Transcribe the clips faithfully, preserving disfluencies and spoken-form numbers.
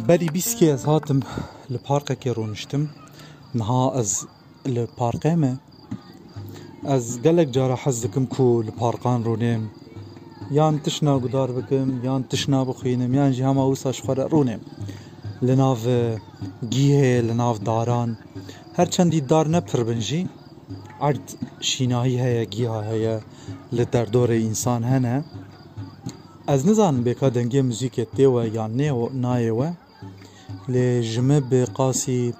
Berî bîst kê ez hatim li parkekê rûniştim. Niha ez li parkê me. Ez gelek cara hez dikim ku li parkan rûnêm. Yan tişna guhdar bikim, yan tişna bixwînim, yan jî hema wisa ji xwe re rûnêm. Li nav, e, gîhê, li nav daran. Her çendî dar ne pir bin jî, erd şînahî heye, gîha heye, li derdorê însan hene. Ez nizanim bêka dengê muzîkê tê we yan nê, nayê we. Lê ji min bi qasî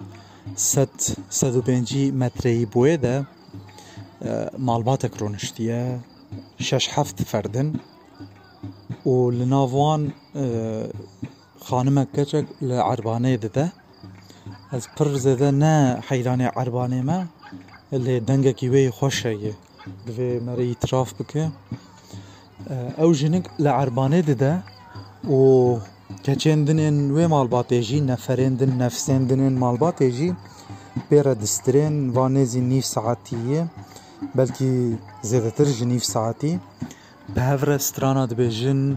sed, sed û pêncî metreyî boyê de, e, malbatek rûniştiye, şeş heft ferdin û li nav wan, e, xanimek keçek li erbanê dide. Ez pir zêde ne heyranê erbanê me, lê dengekî wê yê xweş heye. Divê me re îtiraf bike. Ew jinik li erbanê dide û keçên din ên wê malbatê jî, neferên din, nefsên din ên malbatê jî pê re distirên, va nêzî nîv saetî ye, belkî zêdetir ji nîv saetî. Bi hev re strana dibêjin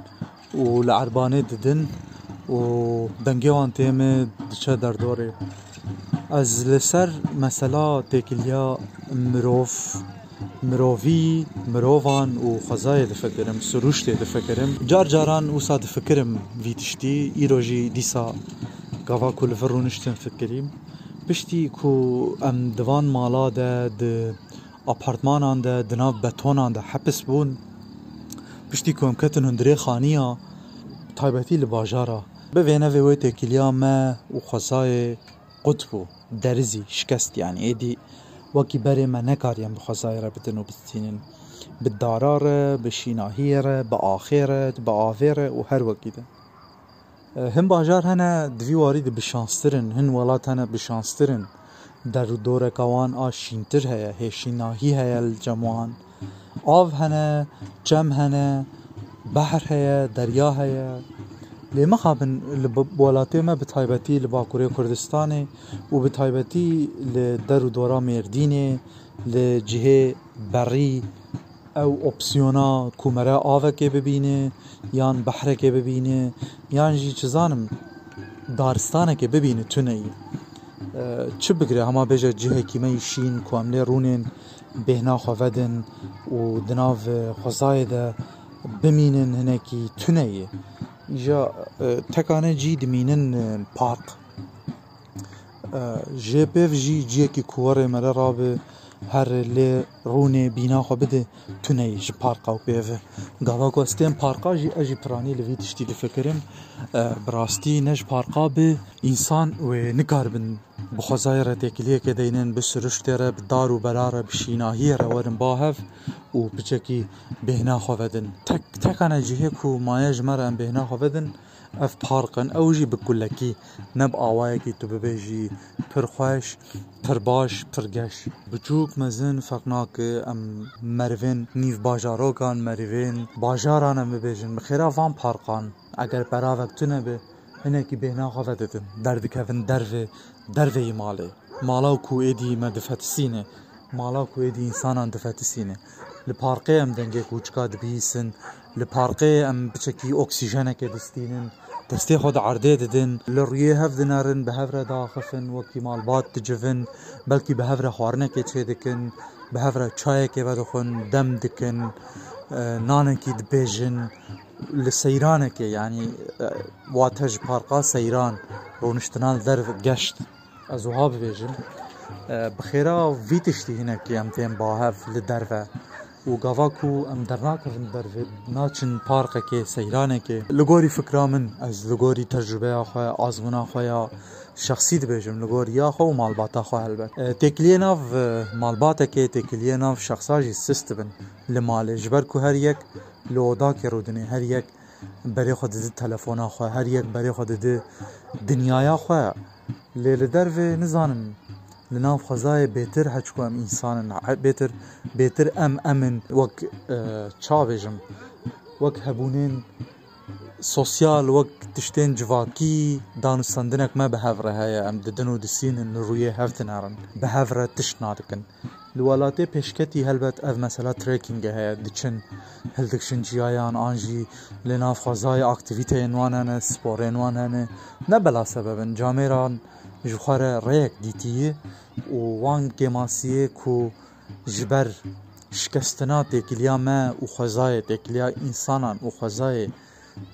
û li erbanê didin û dengê wan tê min diçe derdorê. Ez li ser mesela têkiliya mirov, mirovî, mirovan û xwezayê difikirim, siruştê difikirim. Car caran wisa difikirim vî tiştî, îro jî dîsa gava ku li vir rûniştim fikirîm. Piştî ku em di van mala de, di apartmanan de, di nav betonan de hepis bûn. Piştî ku em ketin hundirê xaniya, taybetî li bajara. Bi vênevê wê têkiliya me û xwezayê qut bû, derizî, şikest, yanî êdî wekî berê me nekariyan bi xwezayê re bidin û bistînin. Bi dara re, bi şînahiyê re, bi axê re, bi avê re û her wekî de. Hin bajar hene di vî warî de bi şanstir in, hin welat hene bi şanstir in. Der û doreka wan a şîntir heye, hêşînahî heye li cem wan. Av hene, çem hene, behr heye, derya heye. Lê mixabin li bi-, welatê me bi taybetî li Bakurê Kurdistanê û bi taybetî li der û dora Mêrdînê, li cihê berî, ew opsiyona ku mere avekê bibîne yan behrekê bibîne yan jî çi zanim daristanekê bibîne tune ye. E, çi bigire hema bêje cihekî me yî şîn ku em lê rûnên bêhna xwe vedin û di nav, e, xwezayê de bimînin hinekî tune ye. Îja, e, tekane cî dimînin, e, park. E, jê pêv jî ciyekî ku werê mere rabe, here lê rûnê bîna xwe bide, tune ye ji parka û pêve. Gava ku ez tên parka jî, ez jî piranî li vî tiştî difikirim. E, bi rastî ne ji parka bi, însan wê nikaribin bi xwezayê re têkiliyekê deynin, bi siruştê re, bi dar û bera re, bi şînahiyê re werin ba hev û piçekî bêhna xwe vedin. Tek, tekane cihê ku maye ji me re em bêhna xwe vedin, ev park in, ew jî bi kulekî, ne bi awayekî tu bibêjî pir xweş, pir baş, pir geş. Biçûk, mezin ferq nake, em merivên nîv bajarokan, merivên bajaran em bibêjin. Bi xêra van parkan, eger beravek tune be, hinekî bêhna xwe vedidin, derdikevin derve, derveyî malê. Mala ku êdî me difetisîne, mala ku êdî însanan difetisîne. Li parkê em dengê kûçika dibihîsin, li parkê em piçekî oksîjenekê distînin, destê xwe di erdê didin, li rûyê hev dinerin, bi hev re diaxifin, wekî malbat dicivin, belkî bi hev re xwarinekê çêdikin, bi hev re çayekê vedixwin, dem dikin, e, nanekî dibêjin. Li seyranekê, yanî, e, wate ji parka seyran, rûniştina li derve, geşt. Ez wiha bibêjim, e, bi xêra vî tiştî hinekî em tên ba hev li derve û gava ku em dernakevin dervê, naçin parkekê, seyranekê. Li gorî fikra min, ez li gorî tecrûbeya xwe, azmûna xwe ya şexsî dibêjim, li gor ya xwe û malbata xwe helbet. E, têkiliyê nav, e, malbatekê, têkiliyê nav şexsa jî sist dibin li malê, ji ber ku her yek li odakê rûdinê, her yek berê xwe didi telefona xwe, her yek berê xwe didi dinyaya xwe. Lê li dervê nizanim, li nav xwezayê bêtir heçku em însan in, bêtir, bêtir em, em in wek, e, ça bêjim, wek hebûnên sosyal, wek tiştên civakî, danûstendinek me bi hev re heye, em didin û disînin, li rûyê hev dinerin, bi hev re tişt nadikin. Li welatê pêşketî helbet ev mesela trekkingê heye, diçin hildikişin çiyayan an jî li nav xwezayê aktîvîteyên wan hene, sporên wan hene. Ne bela sebeb in, camêran ji xwe re rêyek dîtiyî û wan kêmasiyê ku ji ber şikestina têkiliya me û xwezayê, têkiliya însanan û xwezayê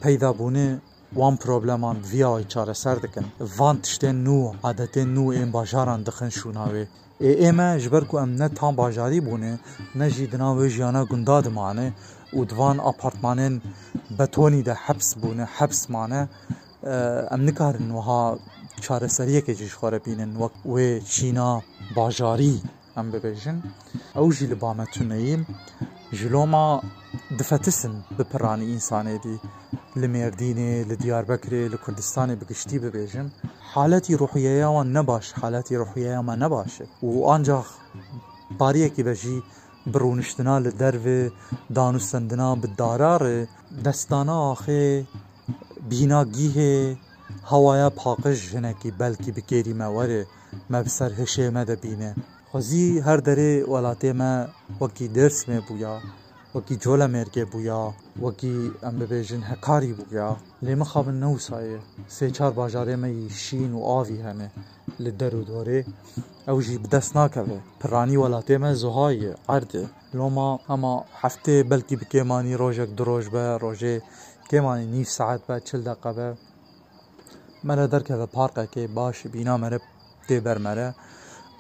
peyda bûne, wan probleman bi vî awayî çareser dikin. Van tiştên nû, adetên nû ên bajaran dixin şûna wê. Ê, ê me ji ber ku em ne tam bajarî bûne, ne jî di nav wê jiyana gunda dimane û di van apartmanên betonî de heps bûne, heps mane, e, em nikarin wiha çareseriyekê jî ji xwe re bînin, wek wê çîna bajarî em bibêjin. Ew jî li ba me tune yî. Ji loma difetisin bi piranî însanê dî. Li Mêrdînê, li Diyarbekirê, li Kurdistanê bi giştî bibêjim. Haletî ruhiyeya wan ne baş, haletî ruhiyeya me ne baş e. Û ancax bariyekî be jî bi rûniştina li derve, danûstendina bi dara re, destdana axê, bîna gîhê, hewaya paqij hinekî belkî bi kêrî me were, me bi ser hişê me de bîne. Xwezî her derê welatê me wekî Dêrsimê bûya, wekî Colemêrgê bûya, wekî em bibêjin Hekarî bûya. Lê mixabin ne wisa ye. Sê çar bajarê me yî şîn û avî hene li der û dorê. Ew jî bi dest nakeve. Piranî welatê me zuha ye, erd e. Loma hema heftê belkî bi kêmanî rojek du roj be, rojê kêmanî nîv saet be, çil deqe be. Me re derkeve parkekê baş, bîna meriv tê ber me re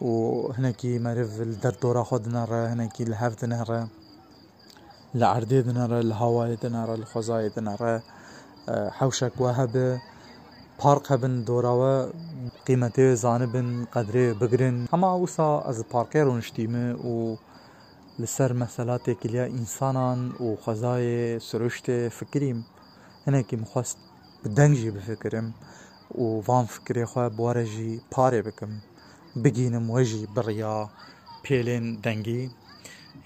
û hinekî meriv li derdora xwe dinere, hinekî li hev dinere, li erdê dinere, li hawayê dinere, li xwezayê dinere. E, hewşek we hebe, park hebin dora we, qîmetê wê zanibin, qedrê wê bigirin. Hema wisa ez li parkê rûniştîme û li ser mesela têkiliya însanan û xwezayê siruştê fikirîm. Hinekî min xwest bi deng jî bifikirim û van fikirê xwe bi we re jî parê bikim. Bigînim we jî bi riya pêlên dengî.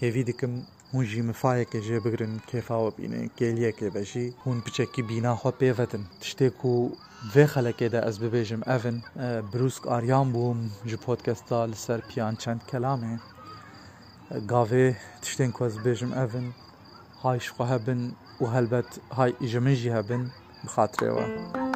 Hêvî dikim hûn jî mifayekê jê bigirin, kêfa we bînin, kêliyekê be jî hûn piçekî bîna xwe pê vedin. Tiştê ku vê xelekê de ez bibêjim ev in, e, Brûsk Aryan bûm ji podcasta Li Ser Piyan Çend Kelamê. Gavê tiştên ku ez bibêjim ev in, hay ji xwe hebin û helbet hay ji min jî hebin, bi xatirê we.